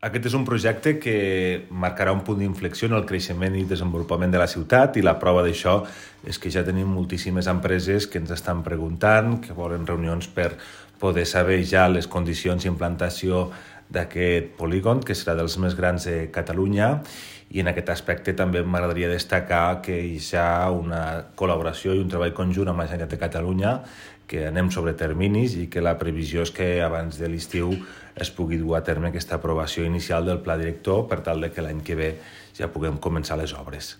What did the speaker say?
Aquest és un projecte que marcarà un punt d'inflexió en el creixement i desenvolupament de la ciutat, i la prova d'això és que ja tenim moltíssimes empreses que ens estan preguntant, que volen reunions per poder saber ja les condicions d'implantació d'aquest polígon, que serà dels més grans de Catalunya, i en aquest aspecte també m'agradaria destacar que hi ha una col·laboració i un treball conjunt amb la Generalitat de Catalunya, que anem sobre terminis i que la previsió és que abans de l'estiu es pugui dur a terme aquesta aprovació inicial del pla director per tal de que l'any que ve ja puguem començar les obres.